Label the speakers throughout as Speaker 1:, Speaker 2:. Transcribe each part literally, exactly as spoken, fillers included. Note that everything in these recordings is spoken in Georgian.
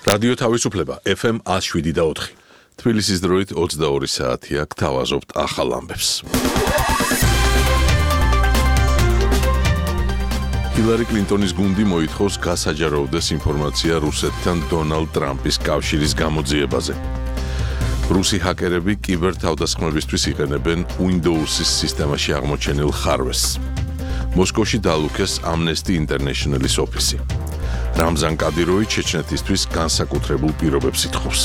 Speaker 1: რადიო თავისუფლება ეფ ემ one oh seven და four. თბილისის დროით ოცდაორი საათია, გთავაზობთ ახალ ამბებს. ჰილარი კლინტონის გუნდი მოითხოვს გასაჯაროდეს ინფორმაცია რუსეთთან დონალდ ტრამპის კავშირის გამოძიებაზე. რუსი ჰაკერები კიბერთავდასხმებისთვის იყენებენ Windows-ის სისტემაში აღმოჩენილ ხარვეს. მოსკოვში დალუქეს Amnesty International-ის ოფისი. რამზან კადიროვი ჩეჩნეთისთვის განსაკუთრებულ პირობებს ითხოვს.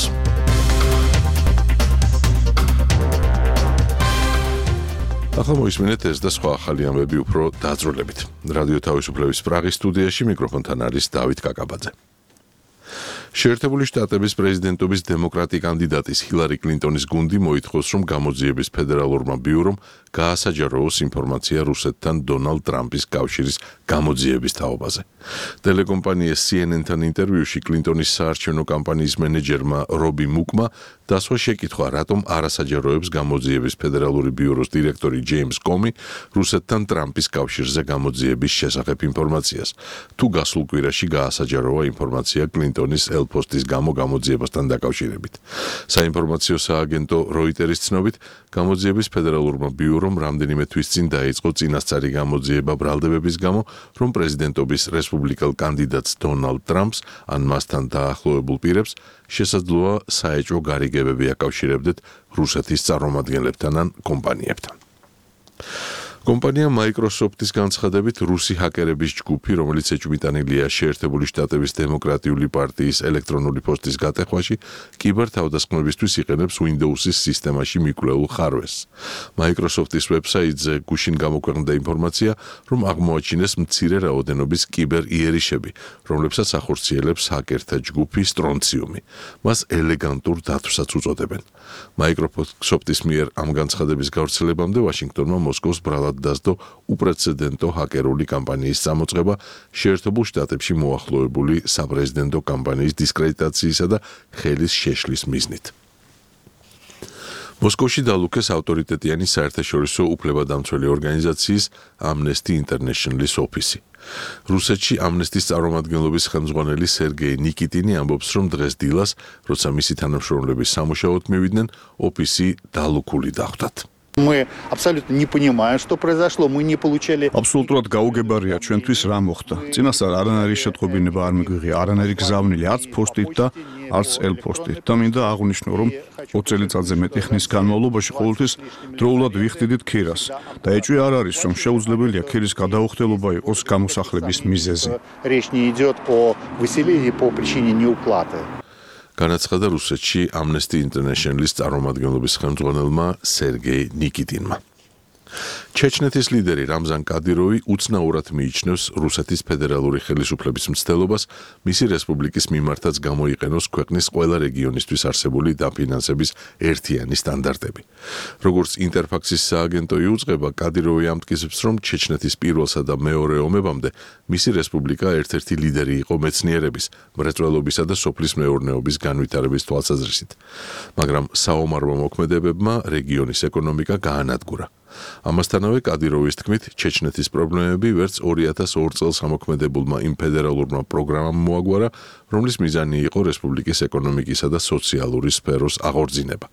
Speaker 1: ახლა მოისმინეთ ეს და სხვა ახალი ამბები უფრო დაძრულებით. რადიო თავისუფლების პრაღის სტუდიაში მიკროფონთან არის დავით კაკაბაძე. შეერთებული შტატების პრეზიდენტობის დემოკრატი კანდიდატის ჰილარი კლინტონის გუნდი მოითხოვს, რომ გამოძიების ფედერალურმა ბიურომ გაასაჯაროოს ინფორმაცია რუსეთთან დონალდ ტრამპის კავშირის გამოძიების თაობაზე. ტელეკომპანია C N N-თან ინტერვიუში კლინტონის საარჩევნო კამპანიის მენეჯერმა რობი მუკმა დასვა შეკითხვა, რატომ არ ასაჯაროებს გამოძიების ფედერალური ბიუროს დირექტორი ჯეიმს კომი რუსეთთან ტრამპის კავშირზე გამოძიების შესახებ ინფორმაციას. თუ გასულ კვირაში გაასაჯაროა ინფორმაცია კლინტონის ელფოსტის გამო გამოძიებასთან დაკავშირებით. საინფორმაციო სააგენტო როიტერის ცნობით, გამოძიების ფედერალურმა ბიურომ რამდენიმე თვის წინ დაიწყო წინასწარი გამოძიება ბრალდებების გამო, რომ პრეზიდენტობის რესპუბლიკელ კანდიდატს დონალდ ტრამპს ან მასთან დაახლოებულ პირებს შესაძლოა საეჭვო გარიგებები აკავშირებდეთ რუსეთის წარმომადგენლებთან ან კომპანიებთან. კომპანია Microsoft-ის განცხადებით, რუსი ჰაკერების ჯგუფი, რომელიც ეჭვმიტანილია შეერთებული შტატების დემოკრატიული პარტიის ელექტრონული პოსტის გატეხვაში, კიბერთავდასხმებისთვის იყენებს Windows-ის სისტემაში მიკვლეულ ხარვეს. Microsoft-ის ვებსაიტზე გუშინ გამოქვეყნდა ინფორმაცია, რომ აღმოაჩინეს მცირე რაოდენობის კიბერ-იერიშები, რომლებსაც ახორციელებს ჰაკერთა ჯგუფი Strontium-ი. მას ელეგანტურ დათვსაც უწოდებენ. Microsoft-ის მიერ ამ განცხადების გავრცელებამდე ვაშინგტონმა მოსკოვს ბრალად დასდო უპრეცედენტო ჰაკერული კამპანიის წამოწყება შეერთებულ შტატებში მოახლოებული საპრეზიდენტო კამპანიის დისკრედიტაციისა და ხელის შეშლის მიზნით. მოსკოვში დალუქეს ავტორიტეტიანი საერთაშორისო უფლებადამცველი ორგანიზაციის Amnesty International-ის ოფისი. რუსეთში Amnesty-ის წარმომადგენლობის ხელმძღვანელი სერგეი ნიკიტინი ამბობს, რომ დღეს დილას, როცა მისი თანამშრომლები სამუშაოდ მივიდნენ, ოფისი დალუქული დახვდათ.
Speaker 2: Мы абсолютно не понимаем, что произошло. Мы не получали.
Speaker 3: Абсолютურად გაუგებარია ჩვენთვის რა მოხდა. წინასწარ არანაირი შეტყობინება არ მიგვიღია, არანაირი გზავნილი არც ფოსტით და არც ელ-ფოსტით. და მინდა აღვნიშნო, რომ ოც წელიწადზე მეტი ხნის განმავლობაში ყოველთვის დროულად ვიხდიდით ქირას და ეჭვი არ არის, რომ შეუძლებელია ქირის გადაუხდელობა იყოს გამოსახლების მიზეზი.
Speaker 2: Речь не идет о выселении по причине неуплаты.
Speaker 1: განაცხადა რუსეთში Amnesty International-ის წარმომადგენლობის ხელმძღვანელმა სერგეი ნიკიტინმა. ჩეჩნეთის ლიდერი რამზან კადიროვი უცნაურად მიიჩნევს რუსეთის ფედერალური ხელისუფლების მცდელობას მისი რესპუბლიკის მიმართაც გამოიყენოს ქვეყნის ყველა რეგიონისთვის არსებული დაფინანსების ერთიანი სტანდარტები. როგორც ინტერფაქსის სააგენტო იუწყება, კადიროვი ამტკიცებს, რომ ჩეჩნეთის პირველსა და მეორე ომებამდე მისი რესპუბლიკა ერთ-ერთი ლიდერი იყო მეცნიერების, მრეწველობისა და სოფლის მეურნეობის განვითარების თვალსაზრისით. მაგრამ საომარმა მოქმედებებმა რეგიონის ეკონომიკა გაანადგურა. ამასთანავე კადიროვის თქმით, ჩეჩნეთის პრობლემები ვერც ორი ათას ორ წელს ამოქმედებულმა იმ ფედერალურმა პროგრამამ მოაგვარა, რომლის მიზანი იყო რესპუბლიკის ეკონომიკისა და სოციალური სფეროს აღორძინება.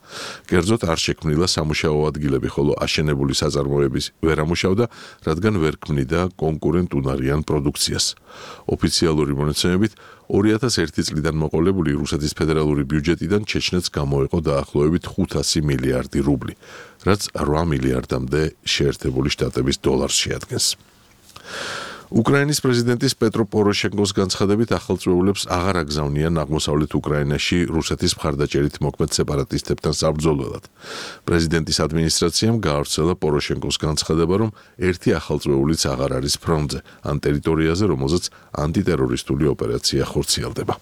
Speaker 1: კერძოდ არ შექმნილა სამუშაო ადგილები, ხოლო აშენებული საწარმოების ვერ ამუშავდა, რადგან ვერ ქმნიდა კონკურენტუნარიან პროდუქციას. ოფიციალური მონაცემებით, ორი ათას ერთი წლიდან მოყოლებული რუსეთის ფედერალური ბიუჯეტიდან ჩეჩნეთს გამოეყო დაახლოებით ხუთასი მილიარდი რუბლი, რაც რვა მილიარდამდე შეერთებული შტატების დოლარს შეადგენს. უკრაინის პრეზიდენტის პეტრო პოროშენკოს განცხადებით ახალწვეულებს აღარ აგზავნიან აღმოსავლეთ უკრაინაში რუსეთის მხარდაჭერით მოქმედ სეპარატისტებთან საბრძოლველად. პრეზიდენტის ადმინისტრაციამ გაავრცელა პოროშენკოს განცხადება, რომ ერთი ახალწვეულიც აღარ არის ფრონტზე, ან ტერიტორიაზე, რომელზეც ანტიტერორისტული ოპერაცია ხორციელდება.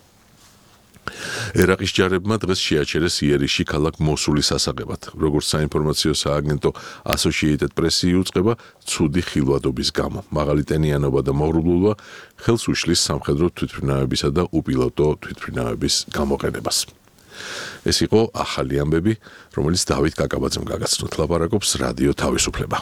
Speaker 1: ერაყის ჯარებმა დღეს შეაჩერეს იერიში ქალაქ მოსულის ასაღებად. როგორც საინფორმაციო სააგენტო Associated Press-ი იუწყება, ცუდი ხილვადობის გამო, მაღალი ტენიანობა და მოღრუბლულობა ხელს უშლის სამხედრო თვითმფრინავებისა და უპილოტო თვითმფრინავების გამოყენებას. ეს იყო ახალი ამბები, რომელიც დავით კაკაბაძემ გაგაცნოთ. ლაპარაკობს რადიო თავისუფლება.